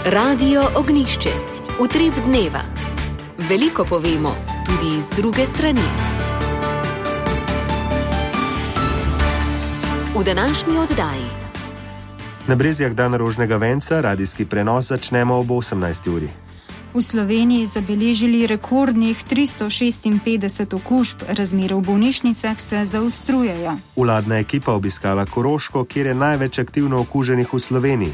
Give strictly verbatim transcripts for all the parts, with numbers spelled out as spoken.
Radio Ognišče, utrip dneva. Veliko povemo, tudi iz druge strani. V današnji oddaji. Na Brezjah dan rožnega venca, radijski prenos začnemo ob osemnajsti uri. V Sloveniji zabeležili rekordnih tristo šestinpetdeset okužb, razmere v bolnišnicah se zaostrujejo. Vladna ekipa obiskala Koroško, kjer je največ aktivno okuženih v Sloveniji.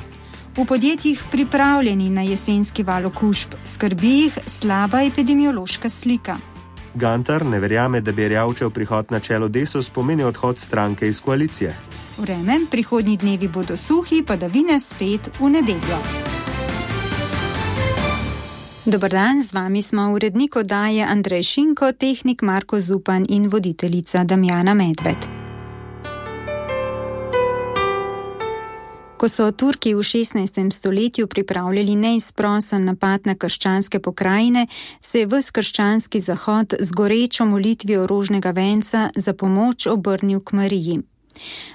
V podjetjih pripravljeni na jesenski val okužb, skrbi jih slaba epidemiološka slika. Gantar ne verjame, da bi Erjavčev prihod na čelo Desus pomenil odhod stranke iz koalicije. Vreme, prihodnji dnevi bodo suhi, padavine spet v nedeljo. Dobar dan, z vami smo urednik oddaje Andrej Šinko, tehnik Marko Zupan in voditeljica Damjana Medved. Ko so Turki v šestnajstem stoletju pripravljali neizprosen napad na krščanske pokrajine, se je ves krščanski zahod z gorečo molitvijo rožnega venca za pomoč obrnil k Mariji.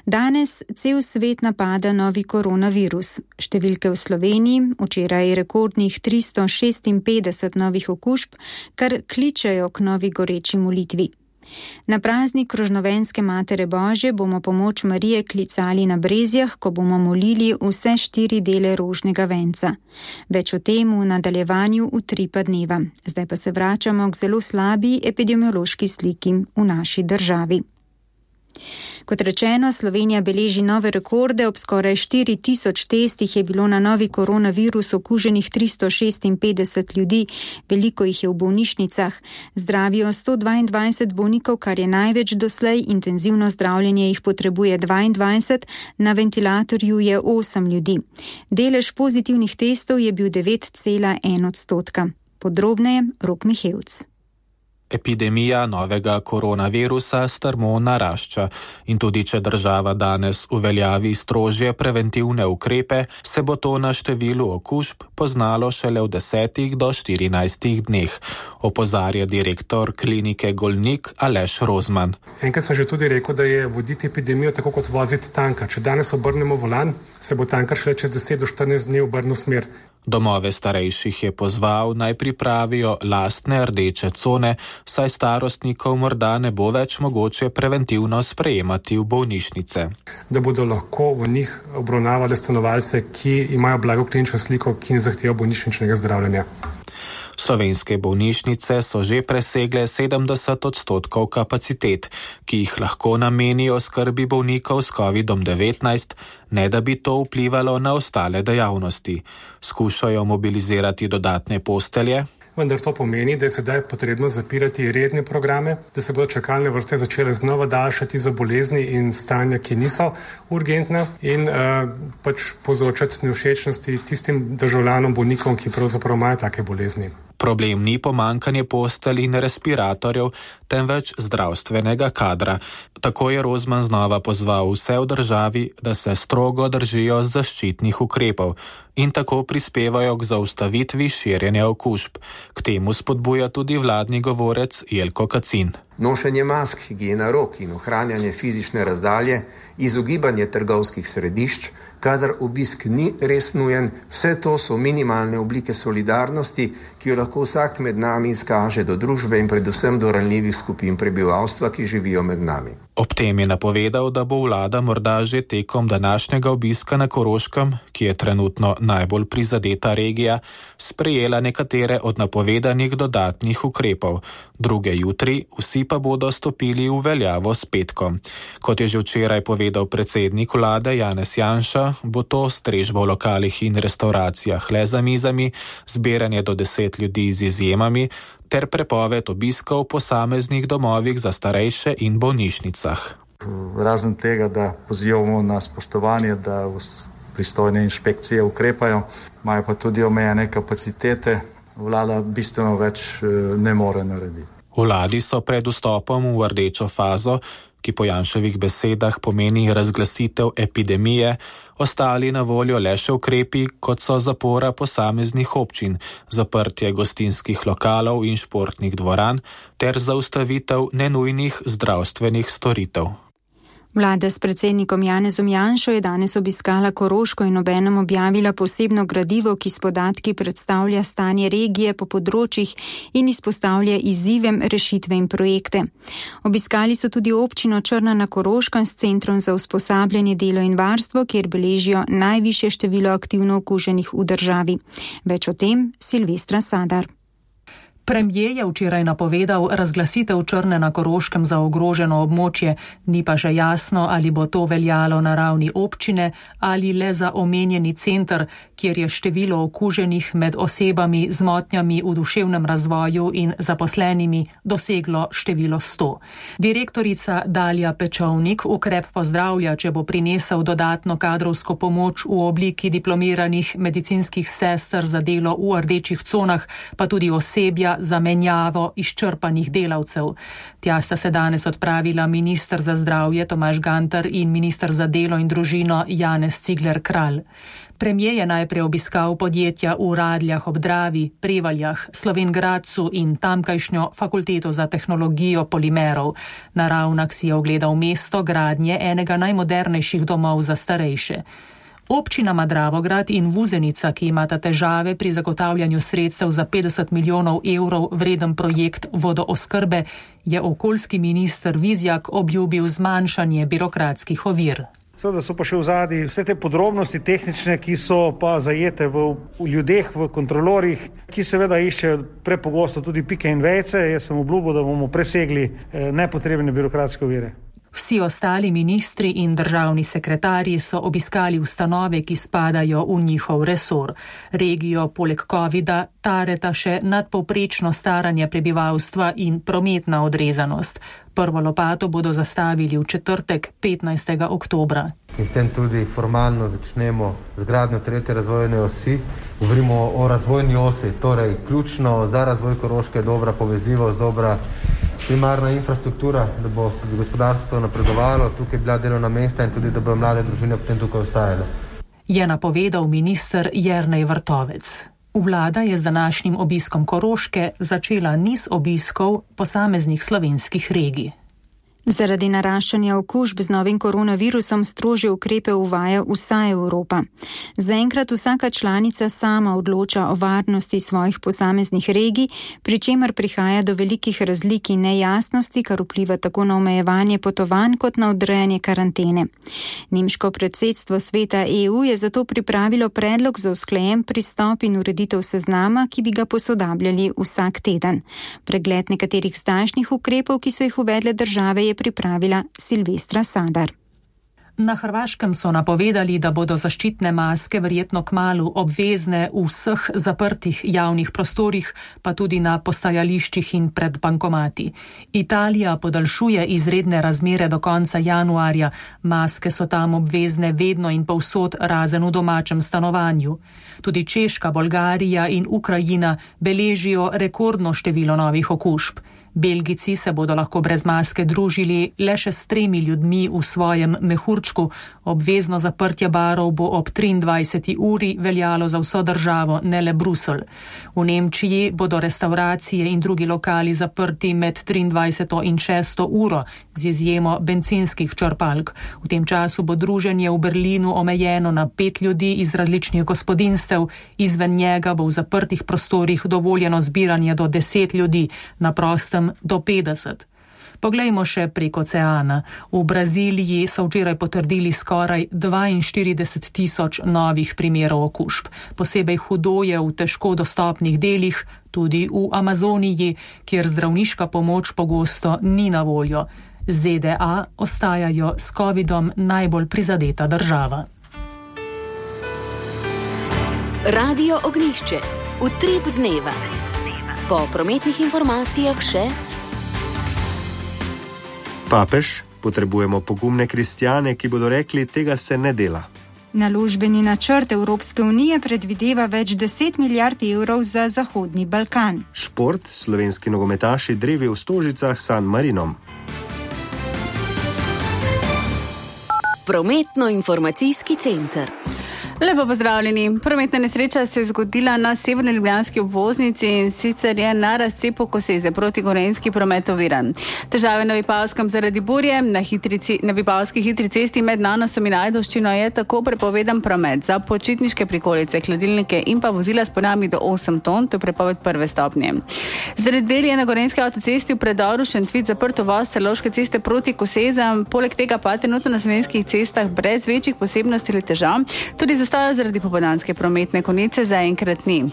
Danes cel svet napada novi koronavirus. Številke v Sloveniji, včeraj rekordnih tristo šestinpetdeset novih okužb, kar kličejo k novi goreči molitvi. Na praznik rožnovenske Matere Božje bomo pomoč Marije klicali na Brezjah, ko bomo molili vse štiri dele rožnega venca. Več o tem v nadaljevanju utripa dneva. Zdaj pa se vračamo k zelo slabi epidemiološki sliki v naši državi. Kot rečeno, Slovenija beleži nove rekorde, ob skoraj štiri tisoč testih je bilo na novi koronavirus okuženih tristo šestinpetdeset ljudi, veliko jih je v bolnišnicah. Zdravijo sto dvaindvajset bolnikov, kar je največ doslej, intenzivno zdravljenje jih potrebuje dvaindvajset, na ventilatorju je osem ljudi. Delež pozitivnih testov je bil devet cela ena odstotka. Podrobneje Rok Mihevc. Epidemija novega koronavirusa strmo narašča in tudi če država danes uveljavi strožje preventivne ukrepe, se bo to na številu okužb poznalo šele v desetih do štirinajstih dneh, opozarja direktor klinike Golnik Aleš Rozman. Enkrat sem že tudi rekel, da je voditi epidemijo tako kot voziti tanka. Če danes obrnemo volan, se bo tankar šele čez deset do štirinajst dni obrnil smer. Domove starejših je pozval, naj pripravijo lastne rdeče cone, saj starostnikov morda ne bo več mogoče preventivno sprejemati v bolnišnice. Da bodo lahko v njih obravnavali stanovalce, ki imajo blago klinično sliko, ki ne zahtevajo bolnišničnega zdravljenja. Slovenske bolnišnice so že presegle sedemdeset odstotkov kapacitet, ki jih lahko namenijo skrbi bolnikov s kovidom devetnajst, ne da bi to vplivalo na ostale dejavnosti. Skušajo mobilizirati dodatne postelje, vendar to pomeni, da je sedaj potrebno zapirati redne programe, da se bodo čakalne vrste začele znova daljšati za bolezni in stanja, ki niso urgentna, in uh, pač povzročati nevšečnosti tistim državljanom, bolnikom, ki pravzaprav imajo take bolezni. Problem ni pomanjkanje postelj in respiratorjev, temveč zdravstvenega kadra. Tako je Rozman znova pozval vse v državi, da se strogo držijo zaščitnih ukrepov in tako prispevajo k zaustavitvi širjenja okužb. K temu spodbuja tudi vladni govorec Jelko Kacin. Nošenje mask, higiena rok in ohranjanje fizične razdalje, izogibanje trgovskih središč, kadar obisk ni res nujen, vse to so minimalne oblike solidarnosti, ki jo lahko vsak med nami izkaže do družbe in predvsem do ranljivih skupin prebivalstva, ki živijo med nami. Ob tem je napovedal, da bo vlada morda že tekom današnjega obiska na Koroškem, ki je trenutno najbolj prizadeta regija, sprejela nekatere od napovedanih dodatnih ukrepov. Druge jutri, vsi pa bodo stopili v veljavo s petkom. Kot je že včeraj povedal predsednik vlade Janez Janša, bo to strežba v lokalih in restauracijah le za mizami, zbiranje do deset ljudi z izjemami, ter prepoved obiskov v posameznih domovih za starejše in bolnišnicah. Razen tega, da pozivamo na spoštovanje, da pristojne inšpekcije ukrepajo, imajo pa tudi omejene kapacitete, vlada bistveno več ne more narediti. Vladi so pred vstopom v rdečo fazo, ki po Janševih besedah pomeni razglasitev epidemije, ostali na voljo le še ukrepi, kot so zapora posameznih občin, zaprtje gostinskih lokalov in športnih dvoran ter zaustavitev nenujnih zdravstvenih storitev. Vlada s predsednikom Janezom Janšo je danes obiskala Koroško in obenem objavila posebno gradivo, ki s podatki predstavlja stanje regije po področjih in izpostavlja izzivem, rešitve in projekte. Obiskali so tudi občino Črna na Koroškem s centrom za usposabljanje, delo in varstvo, kjer beležijo najvišje število aktivno okuženih v državi. Več o tem Silvestra Sadar. Premier je včeraj napovedal razglasitev Črne na Koroškem za ogroženo območje, ni pa še jasno, ali bo to veljalo na ravni občine ali le za omenjeni center, kjer je število okuženih med osebami z motnjami v duševnem razvoju in zaposlenimi doseglo število sto. Direktorica Dalija Pečovnik ukrep pozdravlja, če bo prinesel dodatno kadrovsko pomoč v obliki diplomiranih medicinskih sester za delo v rdečih conah, pa tudi osebja za menjavo izčrpanih delavcev. Tja sta se danes odpravila minister za zdravje Tomaž Gantar in minister za delo in družino Janez Cigler Kralj. Premier je najprej obiskal podjetja v Radljah ob Dravi, Prevaljah, Slovenj Gradcu in tamkajšnjo fakulteto za tehnologijo polimerov. Na Ravnah si je ogledal mesto gradnje enega najmodernejših domov za starejše. Občinama Dravograd in Vuzenica, ki imata težave pri zagotavljanju sredstev za petdeset milijonov evrov vreden projekt vodooskrbe, je okoljski minister Vizjak obljubil zmanjšanje birokratskih ovir. Seveda so pa še v zadnji vse te podrobnosti tehnične, ki so pa zajete v, v ljudeh, v kontrolorjih, ki seveda iščejo prepogosto tudi pike in vejce. Jaz sem obljubil, da bomo presegli eh, nepotrebne birokratske ovire. Vsi ostali ministri in državni sekretarji so obiskali ustanove, ki spadajo v njihov resor. Regijo poleg covida tareta še nadpovprečno staranje prebivalstva in prometna odrezanost. Prvo lopato bodo zastavili v četrtek, petnajstega oktobra. In s tem tudi formalno začnemo z gradnjo tretje razvojne osi. Govorimo o razvojni osi, torej ključno za razvoj Koroške je dobra povezljivost, dobra primarna infrastruktura, da bo se gospodarstvo napredovalo, tukaj bila delovna mesta in tudi, da bo mlade družine potem tukaj ostajale. Je napovedal minister Jernej Vrtovec. Vlada je z današnjim obiskom Koroške začela niz obiskov posameznih slovenskih regij. Zaradi naraščanja okužb z novim koronavirusom strožje ukrepe uvaja vsa Evropa. Zaenkrat vsaka članica sama odloča o varnosti svojih posameznih regij, pri čemer prihaja do velikih razlik in nejasnosti, kar vpliva tako na omejevanje potovanj kot na odrejanje karantene. Nemško predsedstvo sveta E U je zato pripravilo predlog za usklajen pristop in ureditev seznama, ki bi ga posodabljali vsak teden. Pregled nekaterih zdajšnjih ukrepov, ki so jih uvedle države, je pripravila Silvestra Sadar. Na Hrvaškem so napovedali, da bodo zaščitne maske verjetno kmalu obvezne v vseh zaprtih javnih prostorih, pa tudi na postajališčih in pred bankomati. Italija podaljšuje izredne razmere do konca januarja. Maske so tam obvezne vedno in povsod, razen v domačem stanovanju. Tudi Češka, Bolgarija in Ukrajina beležijo rekordno število novih okužb. Belgijci se bodo lahko brez maske družili le še s tremi ljudmi v svojem mehurčku. Obvezno zaprtje barov bo ob triindvajseti uri veljalo za vso državo, ne le Bruselj. V Nemčiji bodo restauracije in drugi lokali zaprti med triindvajseto in šesto uro, z izjemo bencinskih črpalk. V tem času bo druženje v Berlinu omejeno na pet ljudi iz različnih gospodinjstev. Izven njega bo v zaprtih prostorih dovoljeno zbiranje do deset ljudi, na prostem do petdeset. Poglejmo še prek oceana. V Braziliji so včeraj potrdili skoraj dvainštirideset tisoč novih primerov okužb. Posebej hudo je v težko dostopnih delih, tudi v Amazoniji, kjer zdravniška pomoč pogosto ni na voljo. Z D A ostajajo s covidom najbolj prizadeta država. Radio Ognjišče. Utrip dneva. Po prometnih informacijah še papež, potrebujemo pogumne kristjane, ki bodo rekli, tega se ne dela. Naložbeni načrt Evropske unije predvideva več deset milijard evrov za Zahodni Balkan. Šport, slovenski nogometaši drevi v Stožicah s San Marinom. Prometno-informacijski center. Lepo pozdravljeni. Prometna nesreča se je zgodila na severni ljubljanski obvoznici in sicer je na razcepu Koseze proti Gorenjski promet oviran. Težave na Vipavskem zaradi burje, na, hitri, na Vipavski hitri cesti med Nanosom in Ajdovščino je tako prepovedan promet za počitniške prikolice, hladilnike in pa vozila s ponami do osem ton, to je prepoved prve stopnje. Zaradi del je na Gorenjski avtocesti v predoru Šentvid zaprt uvoz Celovške ceste proti Kosezam, poleg tega pa trenutno na slovenskih cestah brez večjih posebnosti ali težav, tudi zastoja zaradi popoldanske prometne konice zaenkrat ni.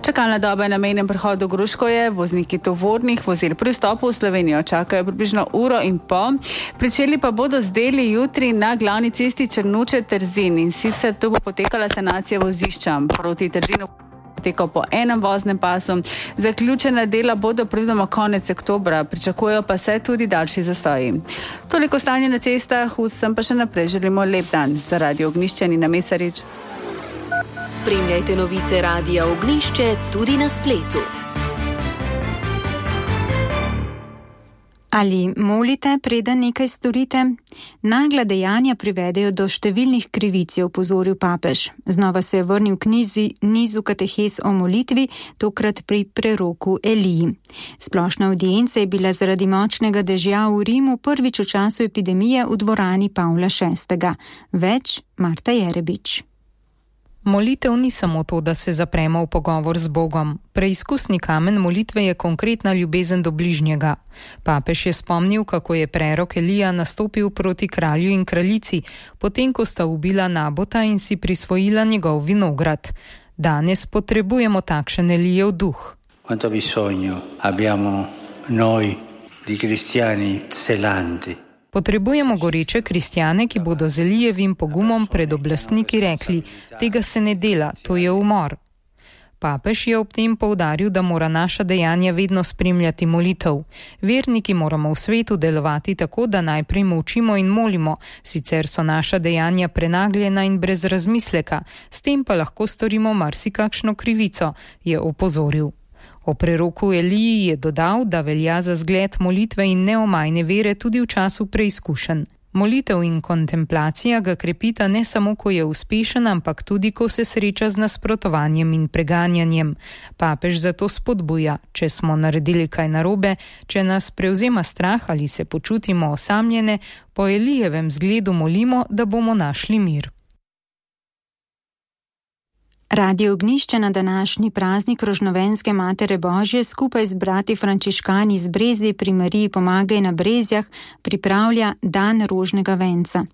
Čakalna doba je na mejnem prehodu Gruškovje, vozniki tovornih vozil pri vstopu v Slovenijo čakajo približno uro in pol. Pričeli pa bodo z deli jutri na glavni cesti Črnuče-Trzin in sicer tu bo potekala sanacija vozišča proti Trzinu. Potekal po enem voznem pasu. Zaključena dela bodo predvidoma konec oktobra, pričakujejo pa se tudi daljši zastoji. Toliko stanje na cestah, vsem pa še naprej želimo lep dan. Za Radio Ognjišče Nina Mesarič. Spremljajte novice Radia Ognjišče tudi na spletu. Ali molite, preden nekaj storite? Nagla dejanja privedejo do številnih krivic, je opozoril papež. Znova se je vrnil k nizi, nizu katehes o molitvi, tokrat pri preroku Eliji. Splošna avdienca je bila zaradi močnega dežja v Rimu prvič v času epidemije v dvorani Pavla šestega. Več Marta Jerebič. Molitev ni samo to, da se zapremo v pogovor z Bogom. Preizkusni kamen molitve je konkretna ljubezen do bližnjega. Papež je spomnil, kako je prerok Elija nastopil proti kralju in kraljici, potem ko sta ubila Nabota in si prisvojila njegov vinograd. Danes potrebujemo takšen Elijev duh. Quanto bisogno abbiamo noi di cristiani zelanti. Potrebujemo goreče kristjane, ki bodo z Elijevim pogumom pred oblastniki rekli: tega se ne dela, to je umor. Papež je ob tem poudaril, da mora naša dejanja vedno spremljati molitev. Verniki moramo v svetu delovati tako, da najprej molčimo in molimo, sicer so naša dejanja prenagljena in brez razmisleka, s tem pa lahko storimo marsikakšno krivico, je opozoril. O preroku Eliji je dodal, da velja za zgled molitve in neomajne vere tudi v času preizkušenj. Molitev in kontemplacija ga krepita ne samo, ko je uspešen, ampak tudi, ko se sreča z nasprotovanjem in preganjanjem. Papež zato spodbuja, če smo naredili kaj narobe, če nas prevzema strah ali se počutimo osamljene, po Elijevem zgledu molimo, da bomo našli mir. Radio Ognjišče na današnji praznik Rožnovenske Matere Božje skupaj z brati frančiškani iz Brezij pri Mariji Pomagaj na Brezjah pripravlja Dan rožnega venca.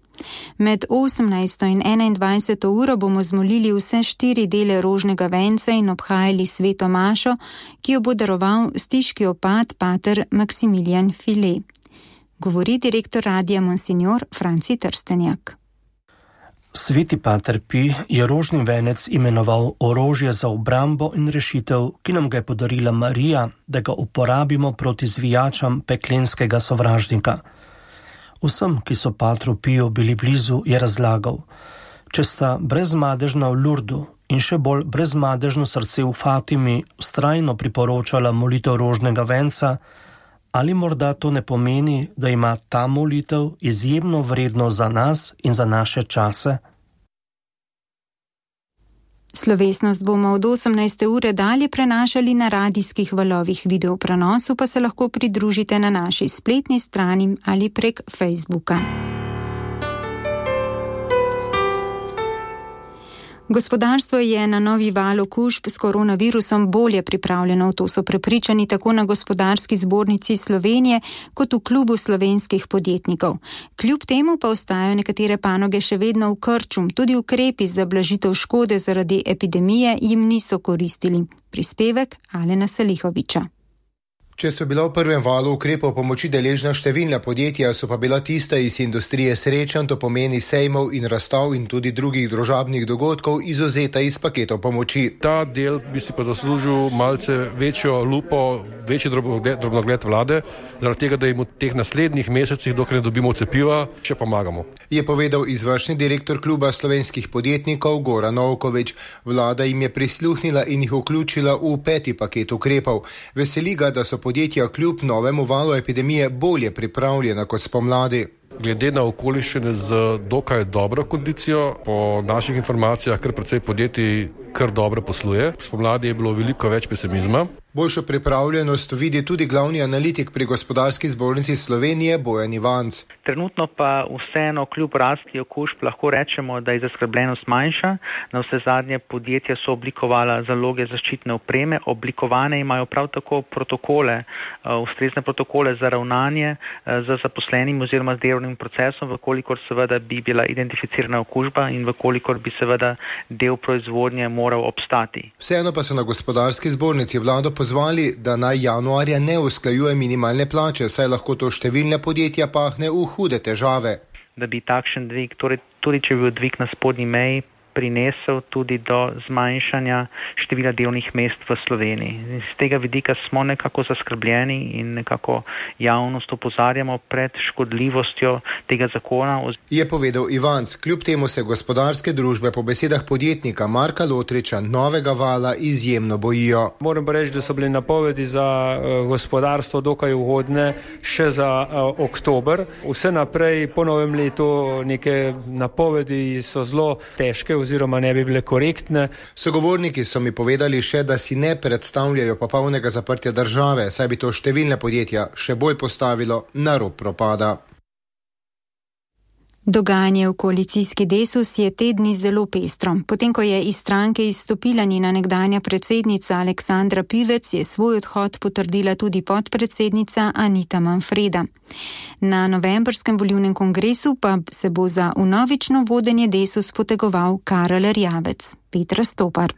Med osemnajsto in enaindvajseto uro bomo zmolili vse štiri dele rožnega venca in obhajali sveto mašo, ki jo bo daroval stiški opat pater Maksimilijan File. Govori direktor radia Monsignor Franci Trstenjak. Sveti pater Pi je rožni venec imenoval orožje za obrambo in rešitev, ki nam ga je podarila Marija, da ga uporabimo proti zvijačam peklenskega sovražnika. Vsem, ki so patru Piju bili blizu, je razlagal: če sta brezmadežna v Lurdu in še bolj brezmadežno srce v Fatimi vztrajno priporočala molitev rožnega venca, ali morda to ne pomeni, da ima ta molitev izjemno vrednost za nas in za naše čase? Slovesnost bomo od osemnajste ure dalje prenašali na radijskih valovih, video prenosu pa se lahko pridružite na naši spletni strani ali prek Facebooka. Gospodarstvo je na novi val okužb s koronavirusom bolje pripravljeno, to so prepričani tako na Gospodarski zbornici Slovenije kot v klubu slovenskih podjetnikov. Kljub temu pa ostajajo nekatere panoge še vedno v krču, tudi ukrepi za blažitev škode zaradi epidemije jim niso koristili. Prispevek Alena Salihoviča. Če so bila v prvem valu ukrepov pomoči deležna številna podjetja, so pa bila tista iz industrije srečanj, to pomeni sejmov in razstav in tudi drugih družabnih dogodkov, izvzeta iz paketov pomoči. Ta del bi si pa zaslužil malce večjo lupo, večji drobnogled vlade, zaradi tega, da jim v teh naslednjih mesecih, dokler ne dobimo cepiva, še pomagamo. Je povedal izvršni direktor kluba slovenskih podjetnikov Goran Novkovič. Vlada jim je prisluhnila in jih vključila v peti paket ukrepov. Veseli ga, da so podjetja kljub novemu valu epidemije bolje pripravljena kot spomladi. glede na okoliščine z dokaj dobro kondicijo. Po naših informacijah kar precej podjetij kar dobro posluje. Spomladi je bilo veliko več pesimizma. Boljšo pripravljenost vidi tudi glavni analitik pri Gospodarski zbornici Slovenije Bojan Ivanc. Trenutno pa vseeno kljub rasti okužb lahko rečemo, da je zaskrbljenost manjša. Na vse zadnje podjetja so oblikovala zaloge zaščitne opreme, oblikovane imajo prav tako protokole, ustrezne protokole za ravnanje z zaposlenim oziroma z delovnim procesom, vkolikor seveda bi bila identificirana okužba in vkolikor bi seveda del proizvodnje moral obstati. Vseeno pa so na Gospodarski zbornici vlado pozvali, da naj januarja ne usklajuje minimalne plače, saj lahko to številne podjetja pahne v hude težave. Da bi takšen dvig, torej tudi če bi bil dvig na spodnji meji, prinesel tudi do zmanjšanja števila delovnih mest v Sloveniji. Z tega vidika smo nekako zaskrbljeni in nekako javnost opozarjamo pred škodljivostjo tega zakona. Je povedal Ivanc. Kljub temu se gospodarske družbe po besedah podjetnika Marka Lotriča novega vala izjemno bojijo. Moram pa reči, da so bile napovedi za gospodarstvo dokaj ugodne še za oktober. Vse naprej po novem letu neke napovedi so zelo težke oziroma ne bi bile korektne. Sogovorniki so mi povedali še, da si ne predstavljajo popolnega zaprtja države, saj bi to številne podjetja še bolj postavilo na rob propada. Dogajanje v koalicijski Desus je te dni zelo pestro. Potem, ko je iz stranke izstopila njena nekdanja predsednica Aleksandra Pivec, je svoj odhod potrdila tudi podpredsednica Anita Manfreda. Na novembrskem volilnem kongresu pa se bo za vnovično vodenje Desus potegoval Karel Erjavec. Petra Stopar.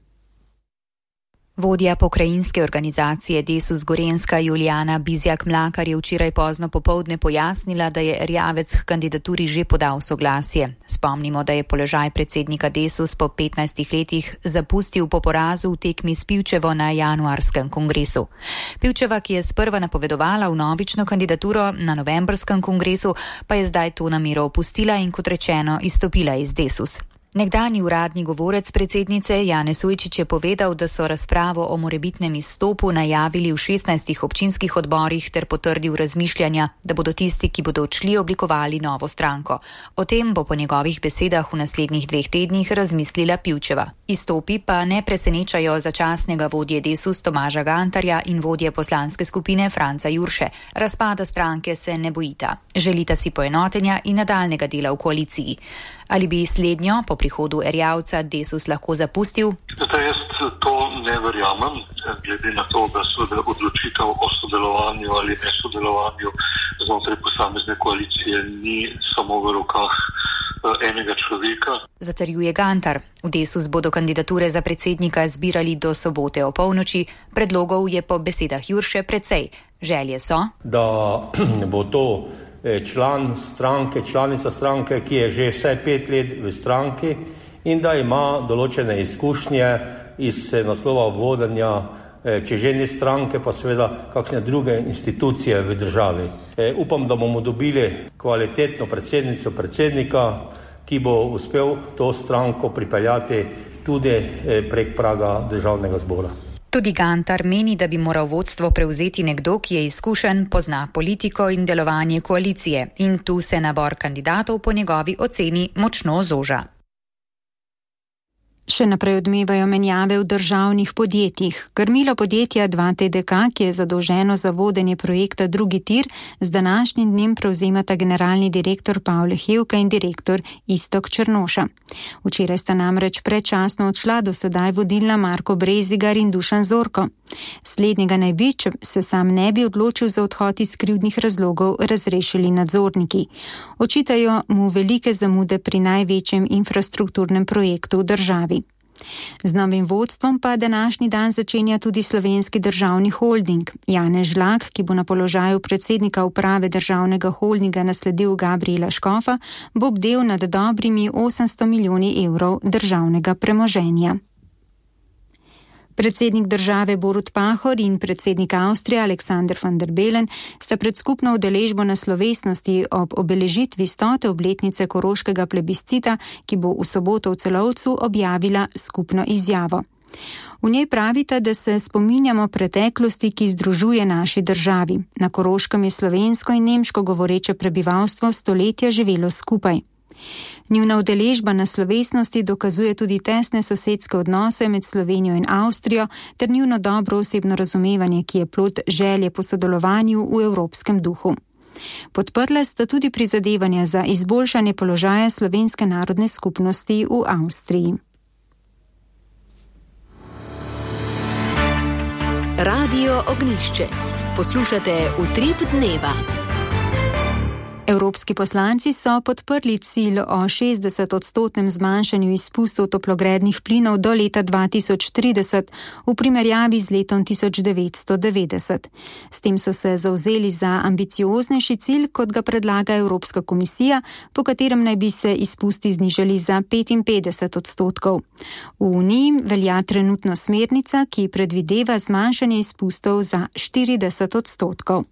Vodja pokrajinske organizacije Desus Gorenjska Julijana Bizjak-Mlakar je včeraj pozno popoldne pojasnila, da je Erjavec k kandidaturi že podal soglasje. Spomnimo, da je položaj predsednika Desus po petnajstih letih zapustil po porazu v tekmi s Pivčevo na januarskem kongresu. Pivčeva, ki je sprva napovedovala vnovično kandidaturo na novembrskem kongresu, pa je zdaj to namero opustila in kot rečeno izstopila iz Desus. Nekdanji uradni govorec predsednice Janez Ujčič je povedal, da so razpravo o morebitnem izstopu najavili v šestnajstih občinskih odborih ter potrdil razmišljanja, da bodo tisti, ki bodo odšli, oblikovali novo stranko. O tem bo po njegovih besedah v naslednjih dveh tednih razmislila Pivčeva. Izstopi pa ne presenečajo začasnega vodje Desus Tomaža Gantarja in vodje poslanske skupine Franca Jurše. Razpada stranke se ne bojita. Želita si poenotenja in nadaljnega dela v koaliciji. Ali bi slednjo po prihodu Erjavca Desus lahko zapustil? Zdaj, jaz to ne verjamem, glede na to, da so odločitev o sodelovanju ali nesodelovanju znotraj posamezne koalicije ni samo v rokah enega človeka. Zatrjuje Gantar. V Desus bodo kandidature za predsednika zbirali do sobote o polnoči. Predlogov je po besedah Jurše precej. Želje so, da bo to član stranke, članica stranke, ki je že vsaj pet let v stranki in da ima določene izkušnje iz naslova vodenja, če že ni stranke, pa seveda kakšne druge institucije v državi. E, upam, da bomo dobili kvalitetno predsednico, predsednika, ki bo uspel to stranko pripeljati tudi prek praga državnega zbora. Tudi Gantar meni, da bi moral vodstvo prevzeti nekdo, ki je izkušen, pozna politiko in delovanje koalicije. In tu se nabor kandidatov po njegovi oceni močno zoža. Še naprej odmevajo menjave v državnih podjetjih. Krmilo podjetja dva T D K, ki je zadolženo za vodenje projekta Drugi tir, z današnjim dnem prevzemata generalni direktor Pavle Hevka in direktor Iztok Črnoša. Včeraj sta namreč predčasno odšla do sedaj vodilna Marko Brezigar in Dušan Zorko. Slednjega naj bi, če se sam ne bi odločil za odhod iz krivdnih razlogov, razrešili nadzorniki. Očitajo mu velike zamude pri največjem infrastrukturnem projektu v državi. Z novim vodstvom pa današnji dan začenja tudi Slovenski državni holding. Janez Žlak, ki bo na položaju predsednika uprave državnega holdinga nasledil Gabriela Škofa, bo bdel nad dobrimi osemsto milijoni evrov državnega premoženja. Predsednik države Borut Pahor in predsednik Avstrije Aleksander van der Bellen sta pred skupno udeležbo na slovesnosti ob obeležitvi stote obletnice koroškega plebiscita, ki bo v soboto v Celovcu, objavila skupno izjavo. V njej pravita, da se spominjamo preteklosti, ki združuje naši državi. Na Koroškem je slovensko in nemško govoreče prebivalstvo stoletja živelo skupaj. Njuna udeležba na slovesnosti dokazuje tudi tesne sosedske odnose med Slovenijo in Avstrijo ter njuno dobro osebno razumevanje, ki je plod želje po sodelovanju v evropskem duhu. Podprla sta tudi prizadevanja za izboljšanje položaja slovenske narodne skupnosti v Avstriji. Radio Ognjišče. Poslušate Utrip dneva. Evropski poslanci so podprli cilj o šestdesetodstotnem zmanjšanju izpustov toplogrednih plinov do leta dva tisoč trideset v primerjavi z letom tisoč devetsto devetdeset. S tem so se zavzeli za ambicioznejši cilj, kot ga predlaga Evropska komisija, po katerem naj bi se izpusti znižali za petinpetdeset odstotkov. V Uniji velja trenutno smernica, ki predvideva zmanjšanje izpustov za štirideset odstotkov.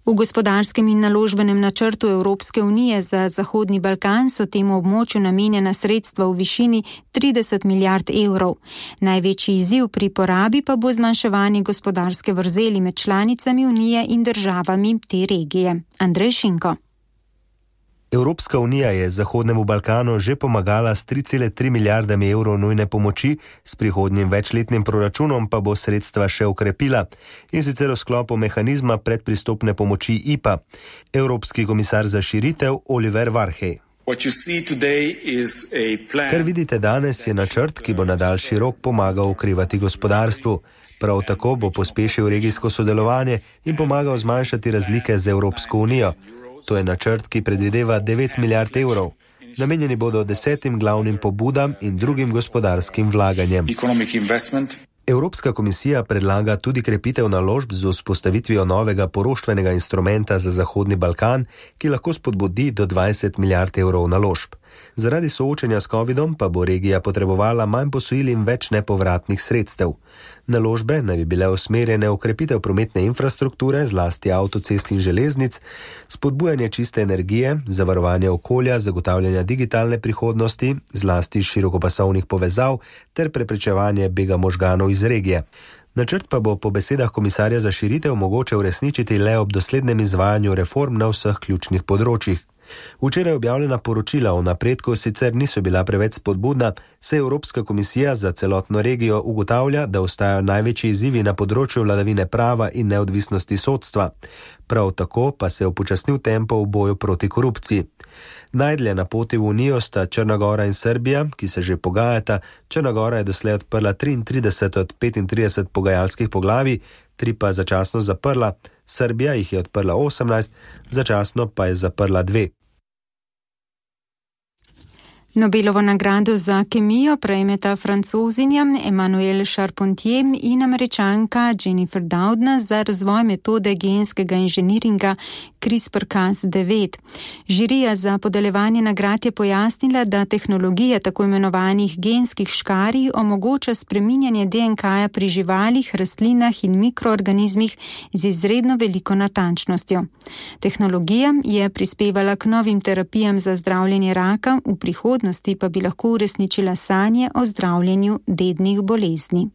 V gospodarskem in naložbenem načrtu Evropske unije za Zahodni Balkan so temu območju namenjena sredstva v višini trideset milijard evrov. Največji izziv pri porabi pa bo zmanjševanje gospodarske vrzeli med članicami unije in državami te regije. Andrej Šinko. Evropska unija je Zahodnemu Balkanu že pomagala s tri cele tri milijardami evrov nujne pomoči, s prihodnjim večletnim proračunom pa bo sredstva še okrepila, in sicer v sklopu mehanizma predpristopne pomoči I P A. Evropski komisar za širitev Oliver Varhej. Kar vidite danes, je načrt, ki bo na daljši rok pomagal okrevati gospodarstvu. Prav tako bo pospešil regijsko sodelovanje in pomagal zmanjšati razlike z Evropsko unijo. To je načrt, ki predvideva devet milijard evrov. Namenjeni bodo desetim glavnim pobudam in drugim gospodarskim vlaganjem. Evropska komisija predlaga tudi krepitev naložb z vzpostavitvijo novega poroštvenega instrumenta za Zahodni Balkan, ki lahko spodbudi do dvajset milijard evrov naložb. Zaradi soočenja s covidom pa bo regija potrebovala manj posojil in več nepovratnih sredstev. Naložbe naj bi bile usmerjene v krepitev prometne infrastrukture, zlasti avtocest in železnic, spodbujanje čiste energije, zavarovanje okolja, zagotavljanja digitalne prihodnosti, zlasti širokopasovnih povezav ter preprečevanje bega možganov iz regije. Načrt pa bo po besedah komisarja za širitev mogoče uresničiti le ob doslednem izvajanju reform na vseh ključnih področjih. Včeraj objavljena poročila o napredku sicer niso bila preveč spodbudna, saj Evropska komisija za celotno regijo ugotavlja, da ostajajo največji izzivi na področju vladavine prava in neodvisnosti sodstva. Prav tako pa se je upočasnil tempo v boju proti korupciji. Najdlje na poti v Unijo sta Črna Gora in Srbija, ki se že pogajata. Črna Gora je doslej odprla triintrideset od petintrideset pogajalskih poglavij, tri pa začasno zaprla. Srbija jih je odprla osemnajst, začasno pa je zaprla dve. Nobelovo nagrado za kemijo prejmeta Francozinja Emmanuel Charpentier in Američanka Jennifer Doudna za razvoj metode genskega inženiringa CRISPR Cas devet. Žirija za podeljevanje nagrad je pojasnila, da tehnologija tako imenovanih genskih škarij omogoča spreminjanje D N K-ja pri živalih, rastlinah in mikroorganizmih z izredno veliko natančnostjo. Tehnologija je prispevala k novim terapijam za zdravljenje raka, v prihodnosti pa bi lahko uresničila sanje o zdravljenju dednih bolezni.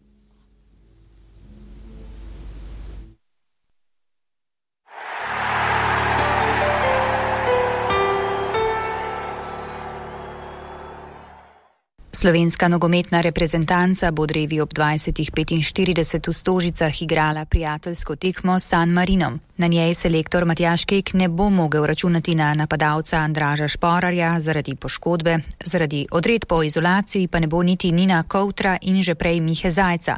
Slovenska nogometna reprezentanca bo drevi ob dvajsetih petinštirideset v Stožicah igrala prijateljsko tekmo s San Marinom. Na njej selektor Matjaž Kek ne bo mogel računati na napadalca Andraža Šporarja zaradi poškodbe, zaradi odredb o izolaciji pa ne bo niti Nina Kovtra in že prej Mihe Zajca.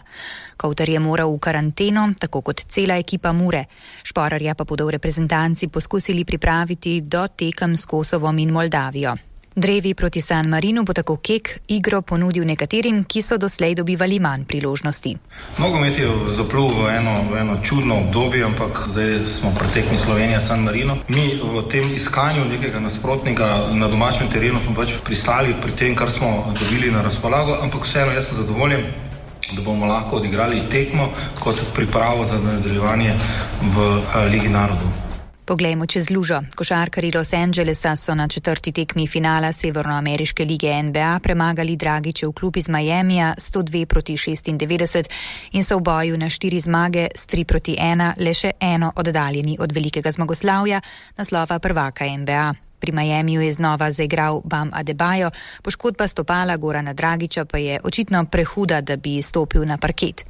Kovtar je moral v karanteno, tako kot cela ekipa Mure. Šporarja pa bodo v reprezentanci poskusili pripraviti do tekem s Kosovom in Moldavijo. Drevi proti San Marinu bo tako Kek igro ponudil nekaterim, ki so doslej dobivali manj priložnosti. Nogomet je zaplul v eno, v eno čudno obdobje, ampak zdaj smo pri tekmi Slovenija San Marino. Mi v tem iskanju nekega nasprotnika na domačem terenu smo pač pristali pri tem, kar smo dobili na razpolago, ampak vseeno jaz sem zadovoljen, da bomo lahko odigrali tekmo kot pripravo za nadaljevanje v Ligi narodov. Poglejmo čez lužo. Košarkarji Los Angelesa so na četrti tekmi finala Severnoameriške lige N B A premagali Dragičev klub iz Miamija sto dve proti šestindevetdeset in so v boju na štiri zmage s tri proti ena le še eno oddaljeni od velikega zmagoslavja, naslova prvaka N B A. Pri Miamiju je znova zaigral Bam Adebayo, poškodba stopala Gorana Dragiča pa je očitno prehuda, da bi stopil na parket.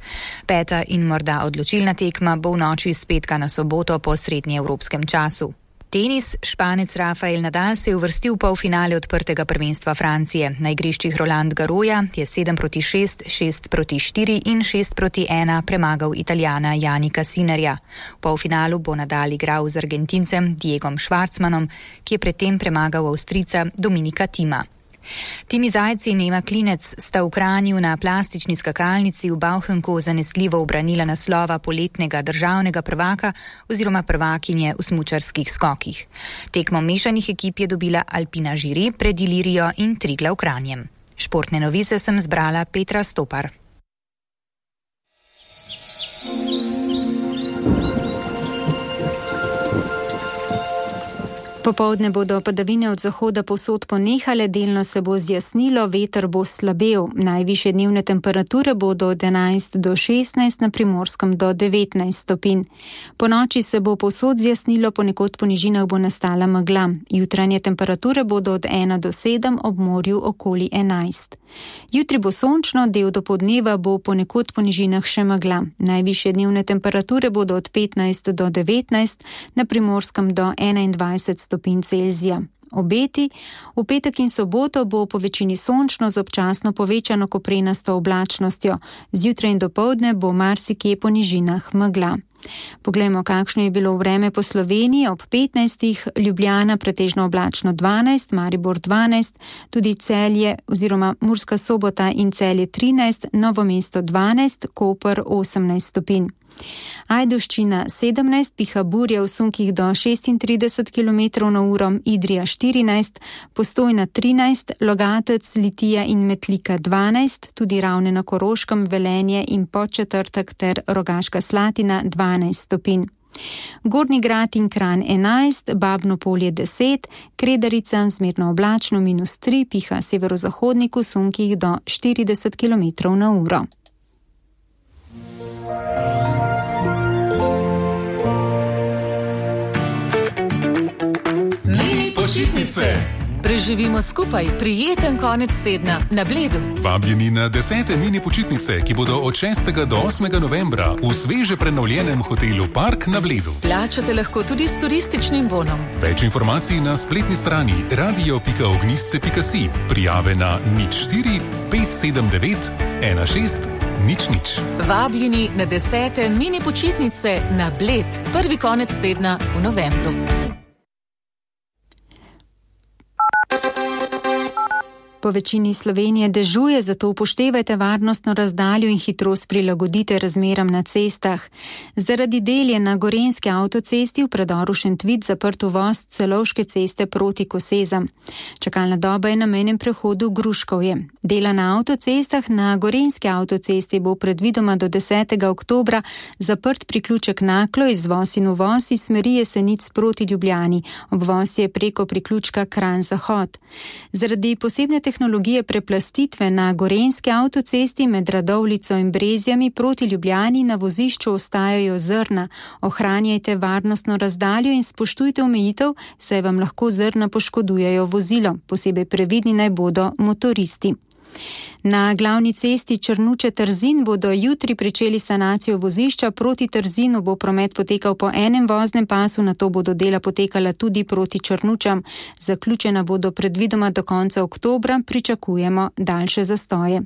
Peta in morda odločilna tekma bo v noči s petka na soboto po srednjeevropskem času. Tenis. Španec Rafael Nadal se je uvrstil v polfinale odprtega prvenstva Francije. Na igriščih Roland Garrosa je sedem proti šest, šest proti štiri in šest proti ena premagal Italijana Janika Sinnerja. V polfinalu bo Nadal igral z Argentincem Diegom Schwartzmanom, ki je predtem premagal Avstrijca Dominika Thima. Timi Zajc in Ema Klinec sta v Kranju na plastični skakalnici v Bauchenku zanesljivo ubranila naslova poletnega državnega prvaka oziroma prvakinje v smučarskih skokih. Tekmo mešanih ekip je dobila Alpina Žiri pred Ilirijo in Triglav Kranjem. Športne novice sem zbrala Petra Stopar. Popoldne bodo padavine od zahoda povsod ponehale, delno se bo zjasnilo, veter bo slabel. Najvišje dnevne temperature bodo od enajst do šestnajst, na Primorskem do devetnajst stopinj. Po noči se bo povsod zjasnilo, ponekod po nižinah bo nastala megla. Jutranje temperature bodo od ena do sedem, ob morju okoli enajst. Jutri bo sončno, del dopoldneva bo ponekod po nižinah še megla. Najvišje dnevne temperature bodo od petnajst do devetnajst, na Primorskem do enaindvajset stopinj Celzija. Obeti. V petek in soboto bo po večini sončno z občasno povečano koprenasto oblačnostjo. Zjutraj in dopoldne bo marsikje po nižinah megla. Poglejmo, kakšno je bilo vreme po Sloveniji. Ob petnajstih Ljubljana pretežno oblačno dvanajst, Maribor dvanajst, tudi Celje oziroma Murska Sobota in Celje trinajst, Novo mesto dvanajst, Koper osemnajst stopinj. Ajdovščina sedemnajst, piha burja v sunkih do šestintrideset kilometrov na uro, Idrija štirinajst, Postojna trinajst, Logatec, Litija in Metlika dvanajst, tudi Ravne na Koroškem, Velenje in Podčetrtek ter Rogaška Slatina dvanajst stopinj. Gornji Grad in Kranj enajst, Babno Polje deset, Kredarica zmerno oblačno minus tri, piha severozahodnik v sunkih do štirideset kilometrov na uro. Počitnice. Preživimo skupaj prijeten konec tedna na Bledu. Vabljeni na desete mini počitnice, ki bodo od šestega do osmega novembra v sveže prenovljenem hotelu Park na Bledu. Plačate lahko tudi s turističnim bonom. Več informacij na spletni strani radio pika ognjisce pika si. Prijave na nič štiri pet sedem devet ena šest nič nič. Vabljeni na desete mini počitnice na Bled. Prvi konec tedna v novembru. Po večini Slovenije dežuje, zato upoštevajte varnostno razdaljo in hitrost prilagodite razmeram na cestah. Zaradi del je na gorenjski avtocesti v predoru Šentvid zaprt uvoz Celovške ceste proti Kosezam. Čakalna doba je na mejnem prehodu Gruškovje. Dela na avtocestah na gorenjski avtocesti bo predvidoma do desetega oktobra zaprt priključek Naklo, izvoz in uvoz iz smeri Jesenic proti Ljubljani. Obvoz je preko priključka Kranj-Zahod. Zaradi posebne tehnologije preplastitve na gorenjski avtocesti med Radovljico in Brezjami proti Ljubljani na vozišču ostajajo zrna. Ohranjajte varnostno razdaljo in spoštujte omejitev, saj vam lahko zrna poškodujejo vozilo. Posebej previdni naj bodo motoristi. Na glavni cesti Črnuče-Trzin bodo jutri pričeli sanacijo vozišča. Proti Trzinu bo promet potekal po enem voznem pasu, nato bodo dela potekala tudi proti Črnučam. Zaključena bodo predvidoma do konca oktobra, pričakujemo daljše zastoje.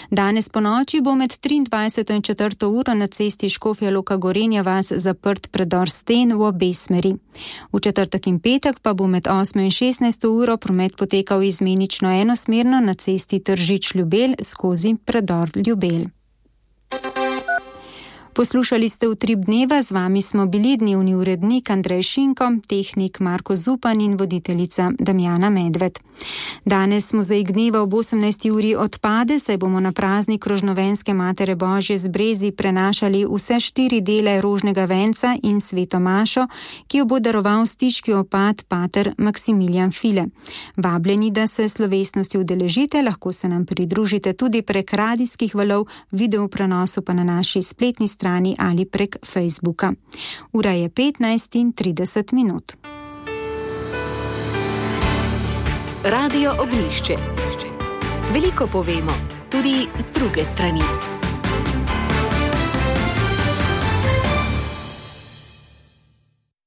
Danes po noči bo med triindvajseto in četrto uro na cesti Škofja Loka Gorenja vas zaprt predor Sten v obe smeri. V četrtek in petek pa bo med osmo in šestnajsto uro promet potekal izmenično enosmerno na cesti Tržič Ljubelj skozi predor Ljubelj. Poslušali ste Utrip dneva, z vami smo bili dnevni urednik Andrej Šinko, tehnik Marko Zupan in voditeljica Damjana Medved. Danes mozaik dneva ob osemnajsti uri odpade, saj bomo na praznik Rožnovenske Matere Božje z Brezi prenašali vse štiri dele rožnega venca in sveto mašo, ki jo bo daroval stiški opat pater Maksimilijan File. Vabljeni, da se slovesnosti udeležite, lahko se nam pridružite tudi prek radijskih valov, video prenosu pa na naši spletni strani ali prek Facebooka. Ura je petnajst in trideset minut. Radio Oglišče. Veliko povemo, tudi z druge strani.